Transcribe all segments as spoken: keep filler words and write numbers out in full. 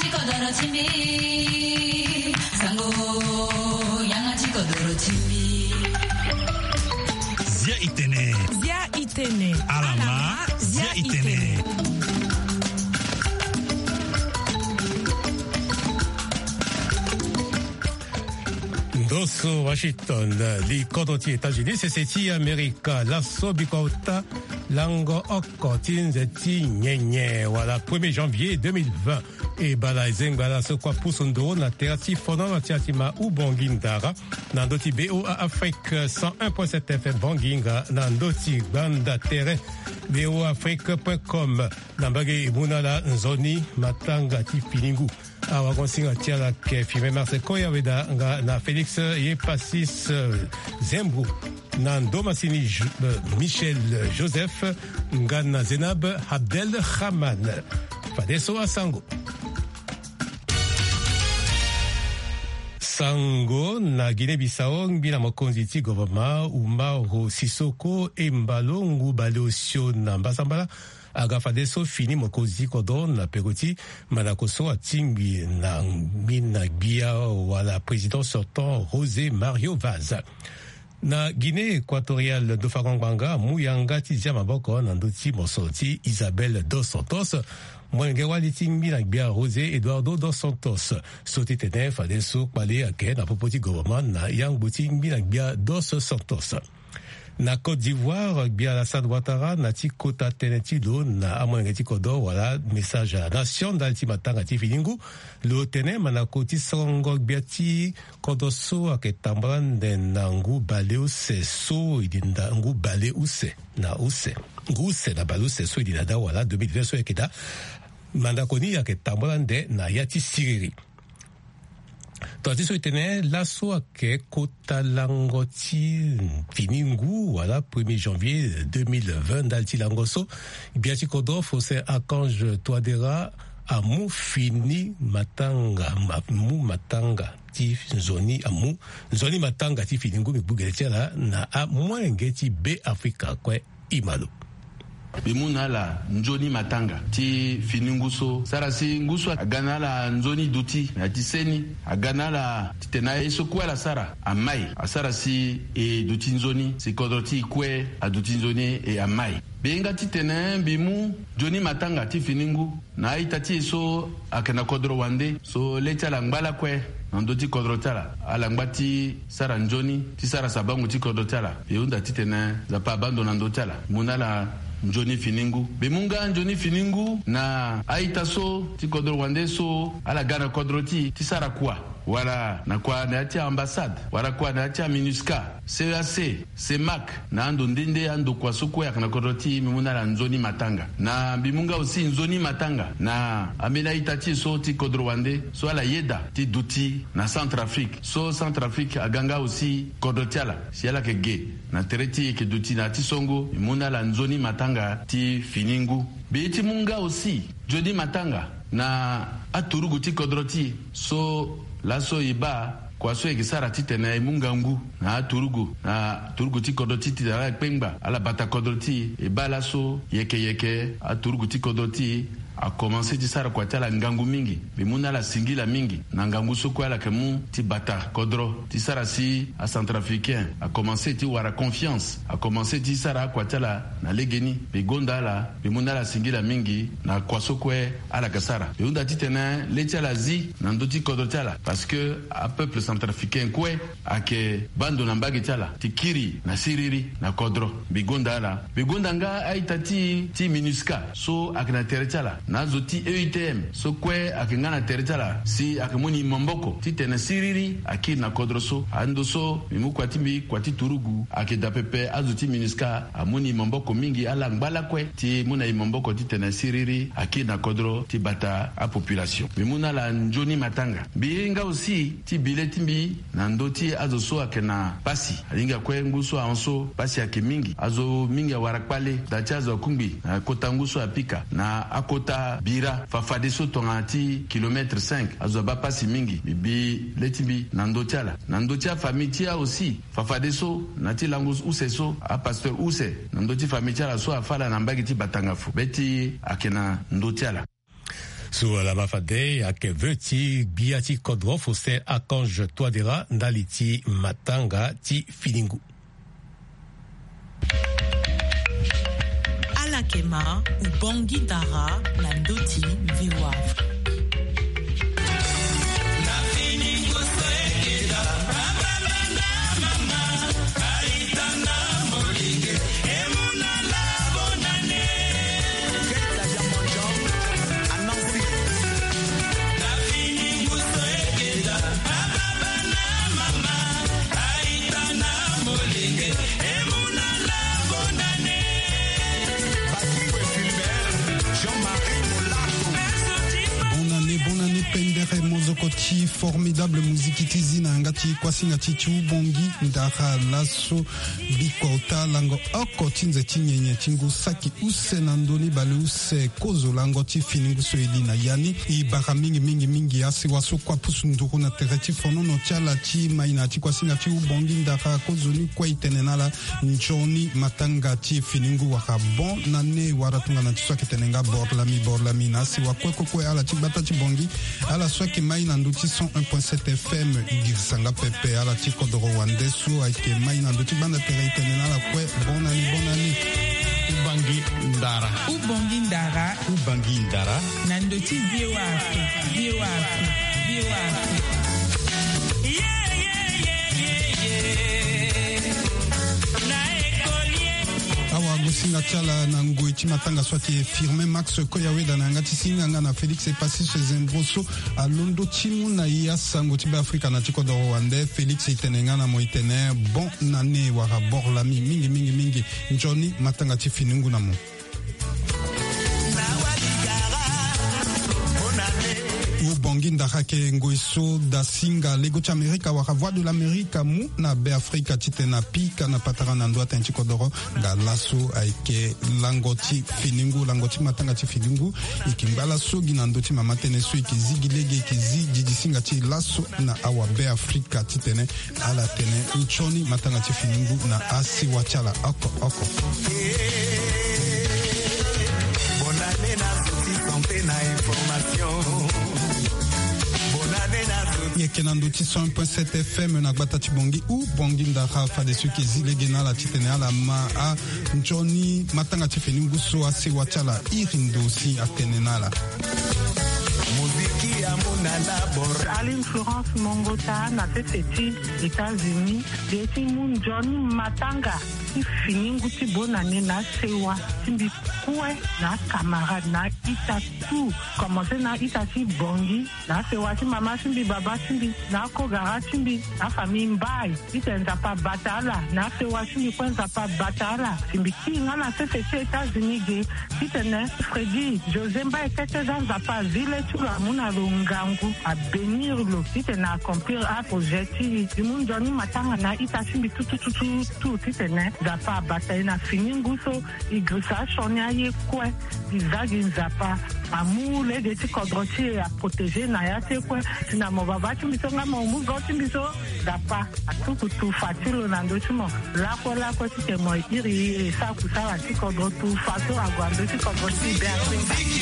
Kodoro ti mbi, sango, yanga ti kodoro ti mbi. Zia itene. Zia itene. Alama, zia itene. Ndoso Washington, li kodro ti États-Unis, sese ti Amerika, laso bikota lango oko ti nze ti nyenye wala premier janvier deux mille vingt. E bala e zengba laso kua pusu nduru na tere ti fono na ti atima u Bongi Ndara, na ndö ti B O A Afrique cent un point sept F M Bongi nga na ndö ti gbanda tere B O A Afrique point com. Na mbage e mu na ala nzoni matanga ti fini ngu. Awagonsinga ti ala ayeke Firmin Marcel Koya Weda nga na Félix Yepasis, eh, Zembro, na ndo masini Jo-, eh, Michel Joseph nga na Zenab Abdel Rahman. Fadeso asango. Sango na Guinée-Bissau, ngbi na mokonzi ti gouvernement Umaro Sissoco e mbalo ngu bale osio na mbasambala aga fadeso fini mokonzi ti kodro na peko ti mandako so atingbi na ngbi na gbia wala président sortant José Mario Vaz. Na Guinée équatoriale, ndo fango ngbanga amu yanga ti zia maboko na ndö ti mosoro ti Isabel dos Santos, molenge wali ti ngbi na gbia José Eduardo dos Santos. So ti tene fadeso kpale ayeke na popo ti gouvernement na yangbo ti ngbi na gbia dos Santos. Na Côte d'Ivoire, gbia Alassane Ouattara na ti kota tënë ti lo na amolenge ti kodro wala message à la nation ndali ti matanga ti fini ngu. Lo tene mandako ti songo gbia ti kodro so ayeke tambula nde na ngu bale use so e di nda ngu bale use na use. Ngu use na bale use so e di na daa wala deux mille vingt so ayeke daa. Mandako ni ayeke tambula nde na ya ti siriri. Tongana ti so e tene laso ayeke kota lango ti fini ngu wala premier janvier deux mille vingt ndali ti lango so, gbia ti kodro Faustin Archange Touadéra amu fini matanga, ma-, mu matanga ti nzoni, amu nzoni matanga ti fini ngu, mbi gbu gere ti ala na amolenge ti Be Afrika kue. Imalo. Mbi mu na ala nzoni matanga ti fini ngu so. Sara si ngu so aga na ala nzoni duti na ya ti seni, aga na ala titene aye so kue ala sara amai. Asara si e duti nzoni, si kodro ti e kue aduti nzoni e amai. Mbi hinga titene mbi mu nzoni matanga ti fini ngu na a-ita ti e so ayeke na kodro wande so le ti ala ngba lakue na ndö ti kodro ti ala. Ala ngba ti sara nzoni ti sara sabango ti kodro ti ala. Mbi hunda titene Nzapa abaa ndo na ndö ti ala. Mbi mu na ala nzoni fini ngu. Mbi mu nga nzoni fini ngu na a-ita so ti kodro wande so ala ga na kodro ti e ti sara kua, wala na kua na ya ti ambassade, wala kua na ya ti aminusca, C E A C, CEMAC, na ando nde nde andokua so kue ayeke na kodro ti e, mbi mu na ala nzoni matanga. Na mbi mu nga aussi nzoni matanga na ambeni a-ita ti e so ti kodro wande so ala yeda ti duti na Centrafrique. So Centrafrique aga nga aussi kodro ti ala. Si ala yeke ge na tere ti e yeke duti na ya ti songo, mbi mu na ala nzoni matanga ti fini ngu. Mbi ye ti mu nga aussi nzoni matanga na aturugu ti kodro ti e so laso e baa kua so e yeke sara titene e mu ngangu na aturugu, na turugu ti kodro ti e titene ala kpengba, ala bata kodro ti e. E baa laso yeke yeke aturugu ti kodro ti e akomanse ti sara kua ti ala ngangu mingi. Mbi mu na ala singila mingi na ngangu so kue ala yeke mu ti bata kodro ti sara si acentrafricain akomanse ti wara confiance, akomanse ti sara akua ti ala na legeni. Mbi gonda ala, mbi mu na ala singila mingi na kua so kue ala yeke sara. Mbi hunda titene le ti ala zi na ndö ti kodro ti ala, parce que apeuple centrafricain kue ayeke baa ndo na mbage ti ala ti kiri na siriri na kodro. Mbi gonda ala. Mbi gonda nga a-ita ti e ti minusca so ayeke na tere ti ala, na azo ti E U T M so kue ayeke nga na tere ti ala, si ayeke mu ni maboko titene siriri akiri na kodro so. Ando so mbi mu kua ti mbi, kua ti turugu ayeke daa pepe. Azo ti minusca amu ni maboko mingi, ala ngba lakue ti mu na e maboko titene siriri akiri na kodro ti bata apopulation. Mbi mu na ala nzoni matanga. Mbi ye nga aussi ti bi le ti mbi na ndö ti azo so ayeke na pasi. Alingbi akue ngu so ahon so pasi ayeke mingi. Azo mingi awara kpale. Da ti azo akungbi na kota ngu so apika na akota bira fafadeso tongana ti kilomètre cinq. Azo abaa pasi mingi. Mbi bi le ti mbi na ndö ti ala. Na ndö ti afamille ti e aussi, fafadeso na ti lango use so, apasteur use na ndö ti famille ti ala so afa ala na mbage ti Batangafu, be ti e ayeke na ndö ti ala. So ala ma fade ayeke veu ti gbia ti kodro Faustin Archange Touadéra ndali ti matanga ti fini ngu. Ala yeke ma Ubangui Dara na ndö ti V O A Afrique. Bonne année, bonne année, pendere mozoko ti Formidable Musique ti zi na yanga ti kuasinga ti ti Ubangui Dara laso. Bikota lango oko ti nze ti nyenye ti ngu saki use na ndö ni baleuse kozo lango ti fini ngu so e li na ya ni. E bara mingi mingi mingi asewa so kue apusu nduru na tere ti fonono ti ala ti mai na ya ti kuasinga ti Ubangui Dara kozoni kue e tene na ala nzoni matanga ti fini ngu wala bonne année wala tongana ti so ayeke tene nga boro lami boro lami na asewa kue kue kue ala ti gbata ti Bangui. Ala so ayeke mai na ndö ti cent un point sept F M e girisa nga pepe ala ti kodoro wande so ayeke mai na ndö ti gbanda tere e tene na ala kue bonne année, bonne année. Ubangui Dara. Ubangui Dara. Ubangui Dara. Na ndö ti V O A Afrique, V O A Afrique, V O A Afrique. Awa agosinga ti ala na ngoi ti matanga so ayeke Firmin Max Koyaweda na yanga ti singa nga na Félix Epassis Zembroso. Alondo ti mu na e asango ti Beafrika na ti kodoro wande. Félix e tene nga na mo e tene bonne année wala boro lami mingi mingi mingi. Nzoni matanga ti fini ngu na mo. Ubangui Dara ayeke ngoi so dasinga lego ti Amerika wala Voix de l'Amérique amu na Beafrika titene apika na patara na ndö atënë ti kodoro. Nga laso ayeke lango ti fini ngu, lango ti matanga ti fini ngu. E yeke ngba laso gi na ndö ti mama tënë so e yeke zi gi lege, e yeke zi didisinga ti e laso na awa Beafrika titene ala tene nzoni matanga ti fini ngu na asewa ti ala oko oko. Bonne année na zo ti santé na information. Bonne année na zo. E yeke na ndö ti cent un point sept F M na gbata ti Bangui. Ubangui Dara fadeso e yeke zi lege na ala titene ala ma a nzoni matanga ti fini ngu so asewa ti ala iri ndo si atene na ala. Moziki amu na labor. Aline Florence Mongota na sese ti États-Unis. Ge ti mu nzoni matanga ti fini ngu ti bonne année na asewa ti mbi kue na acamarade na aita tout. Komanse na aita ti Bangui. Na asewa ti mama ti mbi, baba ti mbi, na akogara ti mbi, na afamille mbai. Titene Nzapa abata ala. Na asewa ti mbi kue Nzapa abata ala. Si mbi kiri nga na sese ti États-Unis ge, titene Freddy José Mbai kete za Nzapa azi le ti lo amu na lo ngangu, abénir lo titene accomplir aprojet ti e. Mbi mu nzoni matanga na aita ti mbi tutututu titene Nzapa abata e na fini ngu so. E girisa asioni aye kue. E za gi Nzapa. Amu lege ti kodro ti e, aprotégé na ya ti e kue. Si na mo baba ti mbi so nga mo mu zo ti mbi so, Nzapa atuku tufa ti lo na ndö ti mo. Lakue lakue titene mo iri e sara kusala ti kodro tufa so ague na ndö ti kodro ti e. Be asinga.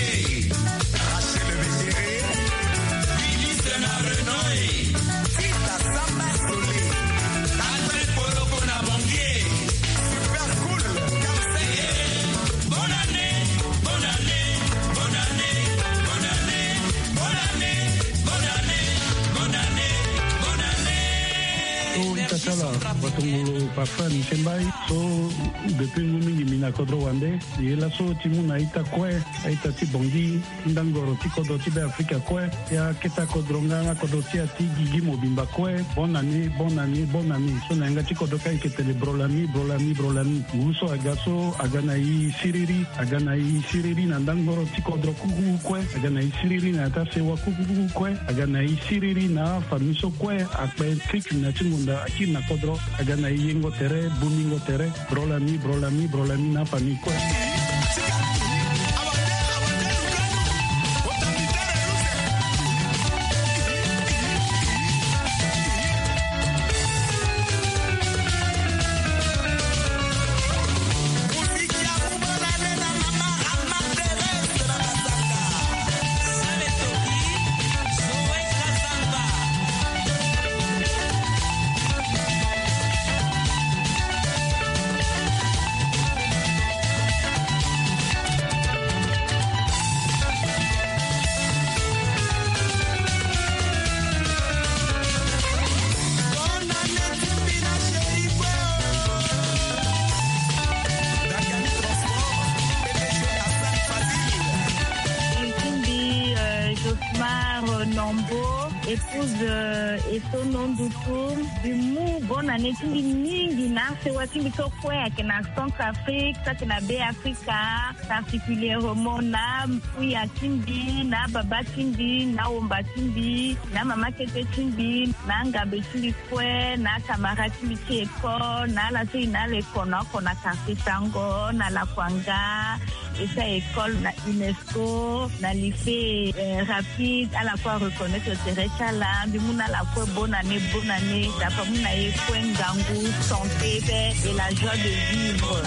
O ita ti ala, bato ngulu papa Michel Mbai so, depuis ngu mingi mbi na kodro wande. Ye laso ti mu na ita kue, aita ti Bangui, ti ndangoro ti kodro ti Beafrika kue, ya keta kodro nga na kodro ti ya ti gigi mobimba kue. Bonne année, bonne année, bonne année. So na yanga ti kodro ka e yeke tene bro lami, bro lami, bro lami. Ngu so aga so aga na e siriri, aga na e siriri na ndangoro ti kodro kuku kue, aga na e siriri na ya ti asewa kuku kue, aga na e siriri na afamille so kue akpe krik na ti ngonda akiri na kodro, aga na e yengo tere, bomingo tere. Bro lami, bro lami, bro lami na famille kue. Nombo, épouse, euh, Etono Ndutu. Mbi mu bonne année ti mbi mingi na sewa ti mbi so kue ayeke na Centrafrique, so ayeke na Beafrika, particulièrement na mpuya ti mbi, na baba ti mbi, na womba ti mbi, na mama kete ti mbi, na angabe ti mbi kue, na camarade ti mbi ti école, na ala so e na ala e kono oko na quartier Sango, na Lakuanga, e sara école na UNESCO, na lycée, euh, rapide, ala kue areconnaître tere ti ala. Mbi mu na ala kue bonne année, bonne année. Nzapa amu na e kue ngangu, santé, paix et la joie de vivre.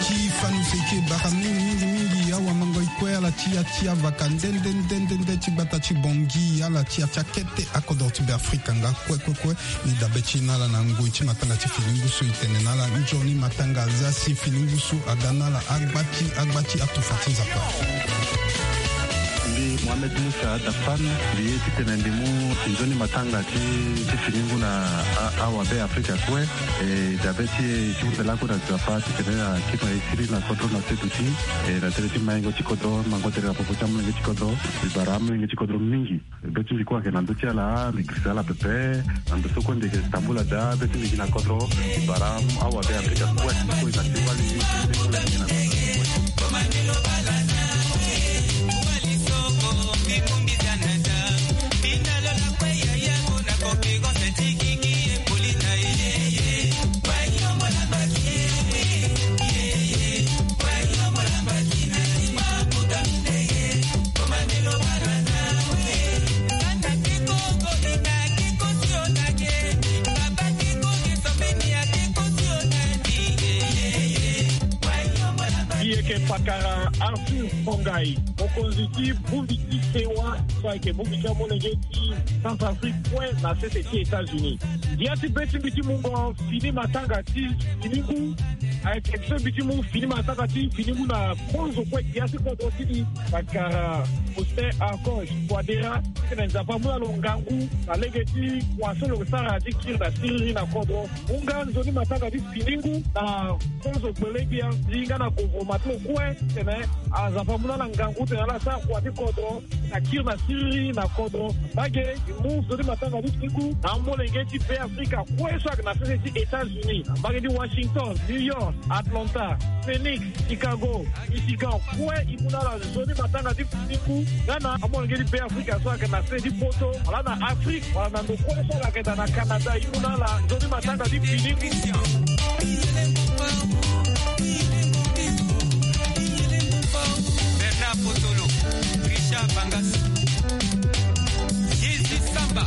Ti fanu seke bara mingi mingi mingi, awa mango e kue ala ti ya ti avaka nde nde nde nde nde ti gbata ti Bangui, ala ti ya ti akete akodro ti Beafrika nga kue kue kue. Ni dabe ti na ala na ngoi ti matanga ti fini ngu so e tene na ala nzoni matanga aza si fini ngu so aga na ala agba ti agba ti atufa ti Nzapa. Mbi Mohamed Moussa Dafan, mbi ye titene mbi mu nzoni matanga ti, ti fini ngu na a, awa Beafrika kue. E dabe ti e ti hunda lakue na Nzapa titene akiri na e siriri na kodro na se duti. E na tere ti maingo ti kodro, mango tere na popo ti amolenge ti kodro. Mbi bara amolenge ti kodro mingi. Be ti mbi kue ayeke na ndö ti ala, mbi girisa ala pepe. Na ndo so kue mbi yeke tambula daa, be ti mbi gi na kodro, mbi bara awa Beafrika kue, kue na ti wali. Mbi yeke pakara Arthur Fongai, mokonzi ti bongbi ti sewa so ayeke bongbi ti amolenge ti Centrafrique kue na sese ti États-Unis. Ngia ti be ti mbi ti mungo fini matanga ti fini ngu ayeke so mbi ti mu fini matanga ti fini ngu na konzo kue ngia ti kodro ti mbi. Pakara Faustin Archange Touadéra, titene Nzapa amu na lo ngangu na lege ti kua so lo sara ti kiri na siriri na kodro. Mu nga nzoni matanga ti fini ngu na konzo gbele gbia, zi nga na govoroma ti lo kue, titene Nzapa amu na ala ngangu titene ala sara kua ti kodro na kiri na siriri na kodro. Mbage, e mu nzoni matanga ti fini ngu na amolenge ti Beafrika kue so ayeke na sese ti États-Unis, mbage ti Washington, New York, Atlanta, Phoenix, Chicago, Michigan kue, e mu na ala nzoni matanga ti fini ngu. Nga na amolenge ti Beafrika so ayeke na se ti poto wala na Afrike wala na ndo kue so ala yeke daa na Canada, e mu na ala nzoni matanga ti fini ngu. Bernard Potolo, Richard Bangas, Yezu Samba,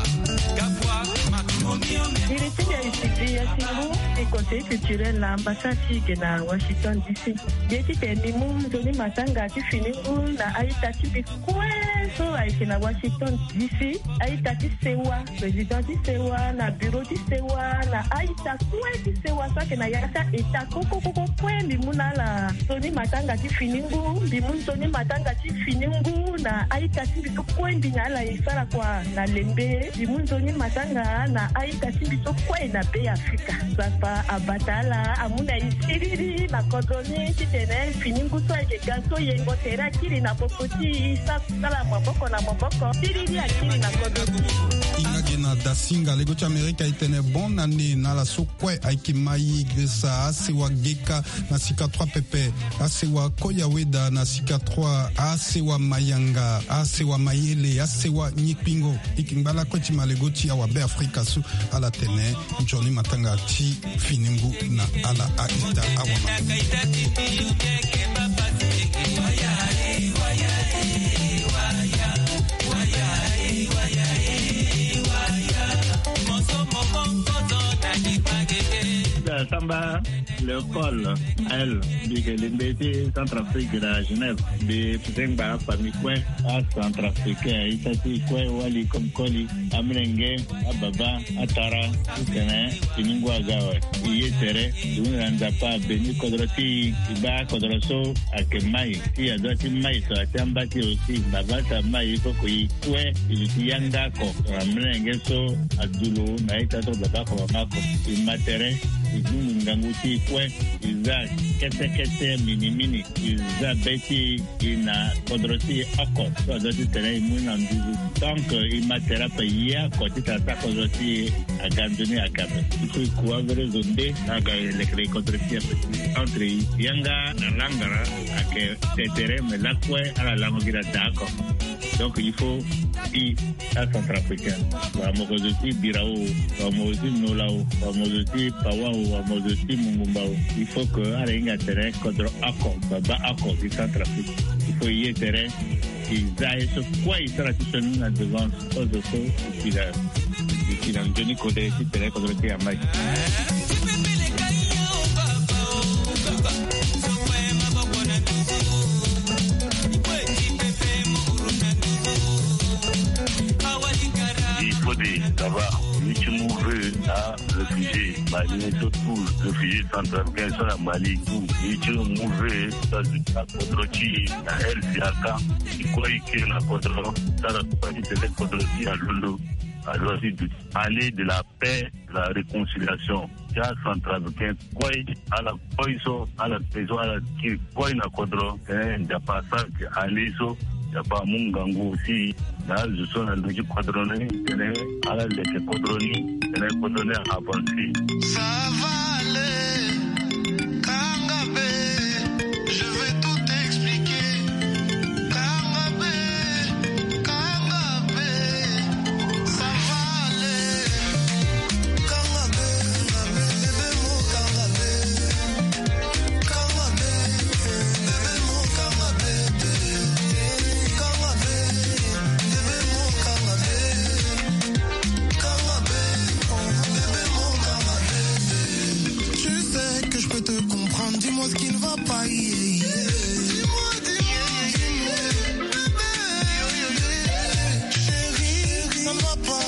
Gabwa Makimonio. Iri ti ndia isi ti ya ti ngu ti Conseil culturel na ambassade ti e yeke na Washington D C. Mbi ye titene mbi mu nzoni matanga ti fini ngu na a-ita ti mbi kue so ayeke na Washington D C, a-ita ti sewa, président ti sewa, na bureau ti sewa, na a-ita kue ti sewa so ayeke na ya ti a-ita koko koko kue. Mbi mu na ala nzoni matanga ti fini ngu, mbi mu nzoni matanga ti fini ngu na a-ita ti mbi so kue mbi na ala e sara kua na lembe. Mbi mu nzoni matanga na a-ita ti mbi so kue na Beafrika. Nzapa abata ala, amu na e siriri na kodro ni titene fini ngu so ayeke ga so yengo tere akiri na popo ti e, sa sala maboko na maboko, siriri akiri na kodro ni. Hinga ge na Dasinga, lego ti Amerika e tene bonne année na ala so kue ayeke ma ye, girisa asewa Geka na sika trois pepe, asewa Koyaweda na sika trois, asewa Mayanga, asewa Mayele, asewa Nyikpingo. E yeke ngba lakue ti ma lego ti awa Beafrika so ala tene nzoni matanga ti fini ngu na ala a-ita awa ma. Samba Léopold, Naël, mbi yeke lingbe ti Centrafrique na Genève. Mbi zengba afamille kue, aCentrafricain, ita ti kue, wali comme koli, amolenge, ababa, atara, titene fini ngu aga awe. E ye tere, e hunda na Nzapa abeni kodro ti e, e baa kodro so ayeke mai, ti adoit ti mai so atia amba ti e aussi. Baba so amai, il faut que e kue e luti yanga oko na molenge so adulo na ita so baba oko mama oko. E ma tere, e zungu ngangu ti e kue, e za kete kete minimini, e za be ti e na kodro ti e oko so adoit titene e mu ni na nduzu. Donc e ma tere ape, e ye oko titene asa kodro ti e aga nzoni aga ape. Il faut e ku avere zo nde na aga e leke leke kodro ti e ape. Entre e yanga na langara ayeke te tere, mais lakue ala lango gi na daa oko. Donc il faut e aCentrafricain, wala mo ko zo ti Birao, wala mo zo ti Nola o, wala mo zo ti Pawa o, wala mo zo ti Mungumba o, il faut que ala hinga tere kodro oko, baba oko ti Centrafrique. Il faut e ye tere, e za ye so kue e sara ti sioni na devant kozo so e si na, e si na nzoni kode titene kodro ti e amai. Il faut de, ça va, ni ti mouve, ah, réfugié Mali, surtout réfugié centrafricain so na Mali, tout. Ni ti mouve, ça, na kodro ti e, na L C A K, e kue e ke na kodro, sara ti tene kodro ti e alondo, azo ti duti. Allée de la paix, de la réconciliation. Ti aCentrafricain kue, ala kue so, ala kiri kue na kodro, eh, Nzapa asara ke allée so, Nzapa amu ngangu aussi na azo so na ndo ti kodro ni, titene ala leke kodro ni, titene kodro ni avancer. Ça va aller, kanga be, je vais tout expliquer. Kanga be, kanga be, ça va aller. Kanga be, kanga be, bébé mo kanga be. Kanga be, bébé mo kanga be. Kanga be, bébé mo kanga be. Kanga be, oh, bébé mo kanga be. Tu sais que je peux te comprendre, dis-moi ce qui ne va pas, yeah, yeah. Dis-moi, dis-moi, dis-moi, bébé. Chérie, ça ne va pas,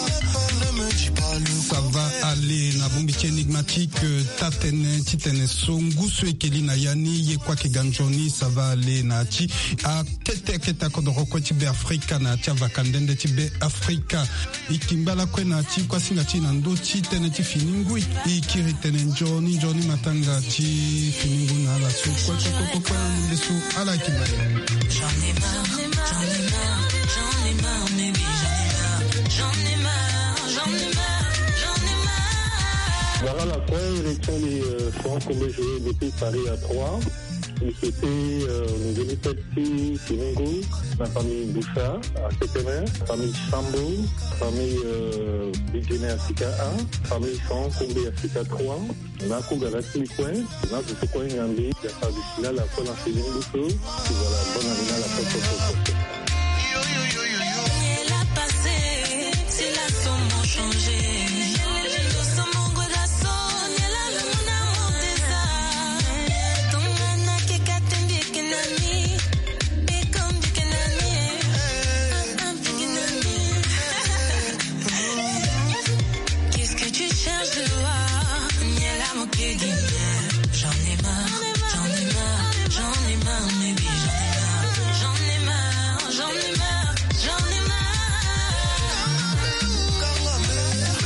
ne me dis pas le contraire. Ça va aller na bongbi ti Enigmatique, euh, taa tënë ti tene so ngu so e ke li na ya ni, ye kue ayeke ga nzoni, ça va aller na ya ti akete akete akodoro kue ti Beafrika na ya ti avaka nde nde ti Beafrika. E kingba lakue na ya ti kuasinga ti e na ndö ti tënë ti fini ngui. E kiri tene nzoni nzoni matanga ti fini ngu na ala so kue kue kue kue kue na ndö so ala yeke ma. J'en ai marre, j'en ai marre, j'en ai marre, baby, j'en ai marre, j'en ai marre, j'en ai marre, j'en ai marre. Voilà la quoi, élection des, euh, francs comme joué depuis Paris à trois. C'était, euh, nzoni fête ti fini ngu na famille Boussa à Setenin, famille Sambo, famille, euh, Bidjene Africa un, famille San Kombe Africa trois. Na ko ga la ti kue, na ko so kue ngambi ya fa bisila la ko na fini ngu so. Voilà, bonne année na la ko ko ko ko. Qu'est-ce que tu cherches dehors? J'en ai marre, j'en ai marre, j'en ai marre, baby, j'en ai marre, j'en ai marre, j'en ai marre, j'en ai marre.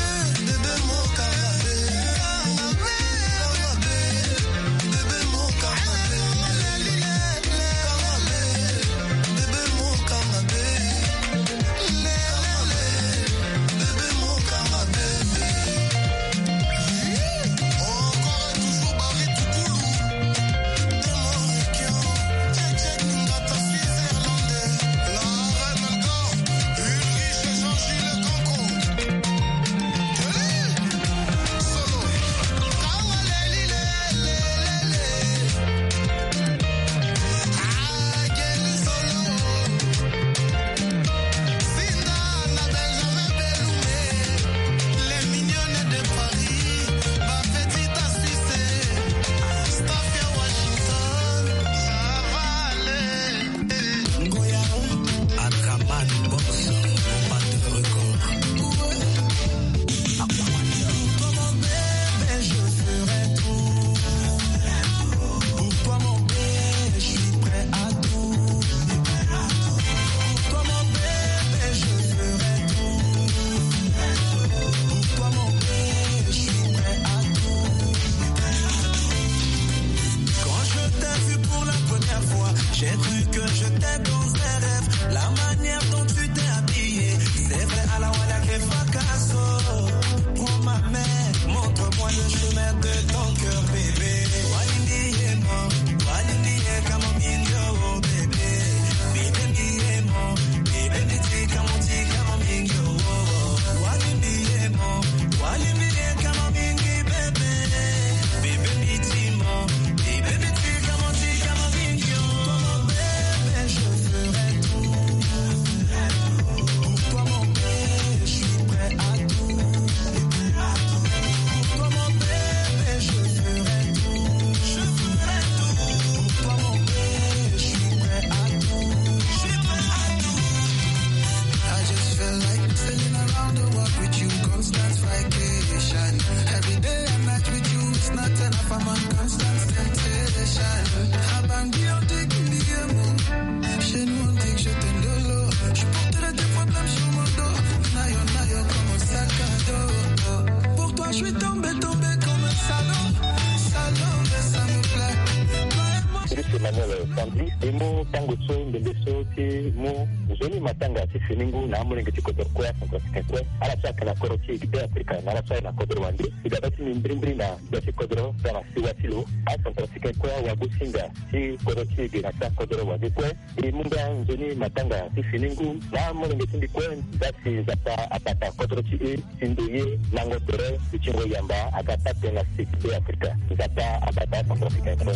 Daniel Sandri, e mu tango so ndembe so ti mu nzoni matanga ti fini ngu na amolenge ti kodro kue acentrafricain kue, ala so ayeke na kodro ti e ti Be Afrika na ala so ayeke na kodro wande. E ga be ti mbi mbirimbiri na gbia ti kodro nga na siwa ti lo, acentrafricain kue awagosinga ti kodro ti e ge na ti akodro wande kue. E mu nga nzoni matanga ti fini ngu na amolenge ti mbi kue. Ndasi Nzapa abata kodro ti e, si ndoye lango tere, lutingo yamba aga taa tënë na se ti Be Afrika. Nzapa abata kodro ti e kue.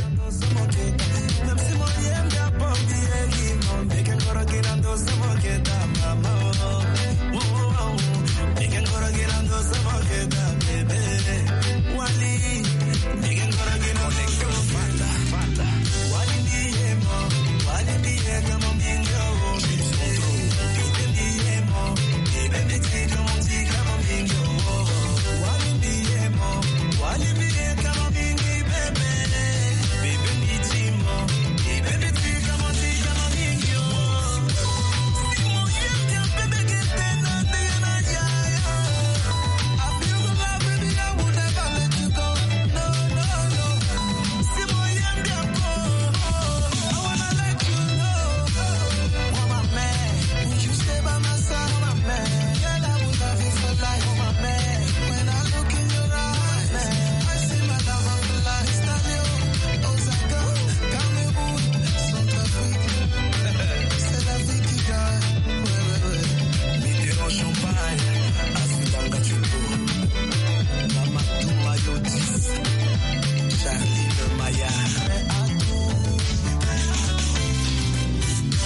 Charline Maya.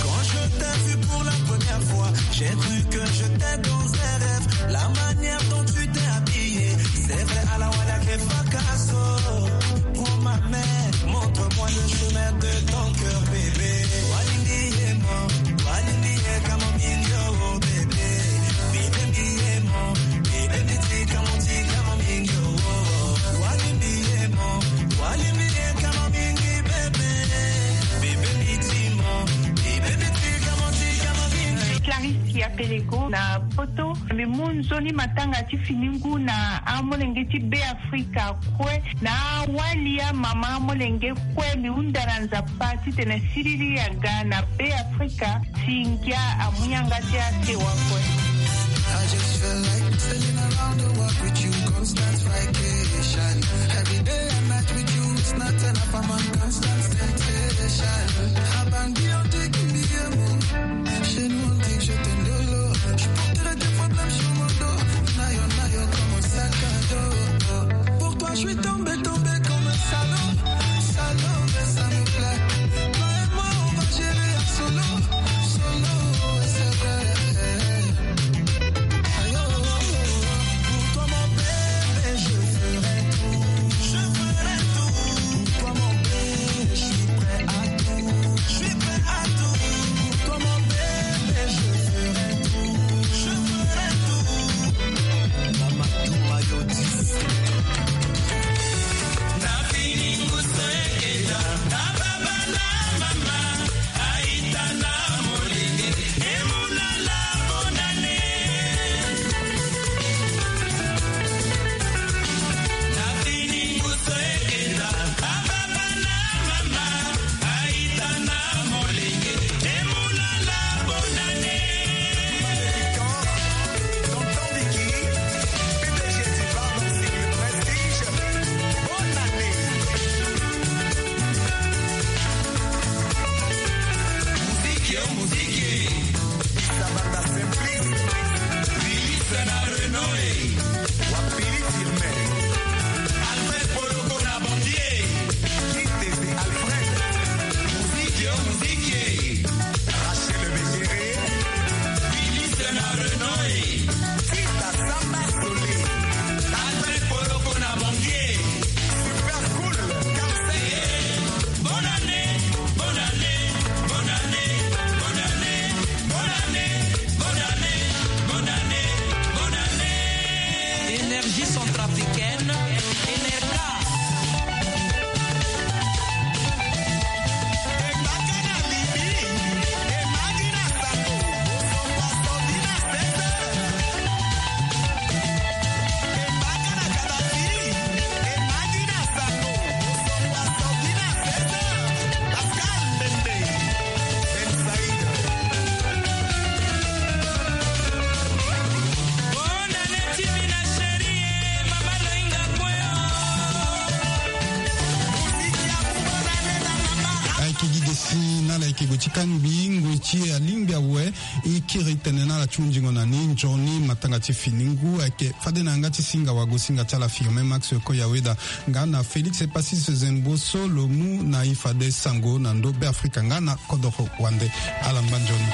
Quand je t'ai vu pour la première fois, j'ai cru que j'étais dans un rêve. La manière dont tu t'es habillée, c'est vrai, ala wali ayeke fa kaso. Prends ma main, montre-moi le chemin de ton cœur, bébé. Walingi ye mo, walingi ye kamo mingi, oh, bébé. Bébé, mi ye mo, bébé, mi ti kamo, ti kamo mingi, oh. Walingi ye mo, walingi ye kamo mingi, bébé. Bébé, mi ti mo, bébé, mi ti kamo, ti kamo mingi. Clarisse Apeleko na poto. Mbi mu nzoni matanga ti fini ngu na amolenge ti Be Afrika kue, na awali amama amolenge kue. Mbi hunda na Nzapa titene siriri aga na Be Afrika, si ngia amu yanga ti asewa kue. I just feel like sailing around the world with you, constant vacation. Every day and night with you, it's not enough, I'm on constant temptation. Abangi on taking me. Chez nous on dit que je t'aime de l'eau. Je porterai tes problèmes sur mon dos. Nayo, nayo, comme un sac à dos. Pour toi, je suis tombé, tombé comme un salaud. Salaud, mais ça me plaît. Toi et moi, on va gérer en solo. Solo, et c'est vrai. Aïe, oh, oh, oh. Pour toi, mon bébé, je ferai tout. Je ferai tout. Pour toi, mon bébé, je suis prêt à tout. Je suis prêt à tout. Pour toi, mon bébé, je ferai tout. Je ferai tout. Mama Touma Yodis. Énergie centrafricaine, Enerca. Go ti kangbi ngoi ti e alingbi awe. E kiri tene na ala ti hunzingo na ni nzoni matanga ti fini ngu ayeke fade na yanga ti singa wago singa ti ala Firmin Max Koyaweda nga na Félix Epasis Zemboso lo mu na e fade sango na ndo Beafrika nga na kodoro wande. Ala ngba nzoni.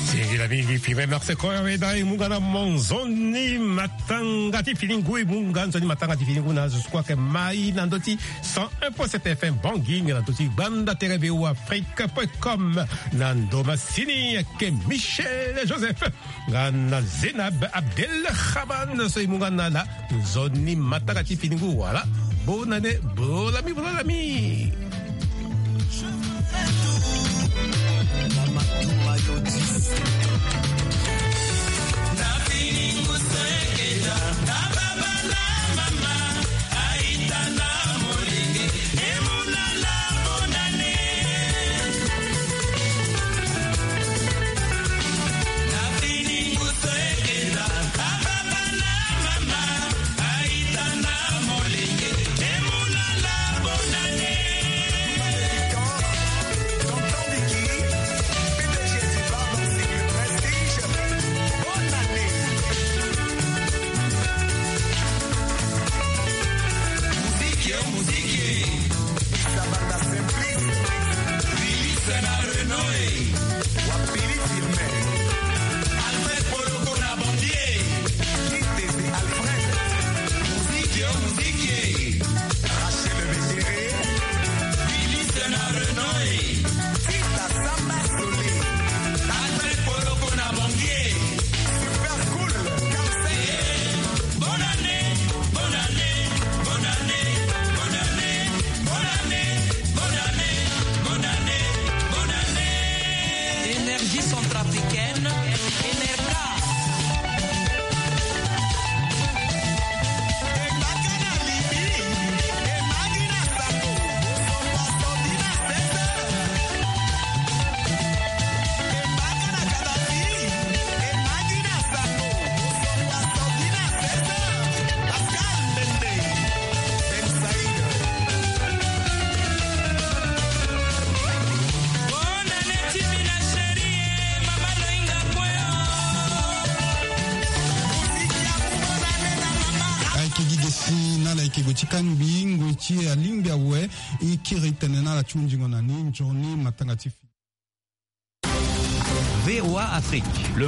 Singila mingi Firmin Max Koyaweda e mu nga na mo nzoni matanga ti fini ngu e mu nga nzoni matanga ti fini ngu na zo so kue ayeke mai na ndö ti cent un point sept F M Bangui nga na ndö ti gbanda tere V O A Afrique point com. Na ndo masini ayeke Michel Joseph nga na Zénab Abdelrahman so e mu nga na ala nzoni matanga ti fini ngu wala. Bonne année, bolami, bolami. Énergie centrafricaine, Enerca. Ayeke gi gesi na ala yeke gue ti kangbi ngoi ti e alingbi awe. E kiri tene na ala ti hunzingo na ni nzoni matanga ti fini. V O A Afrique.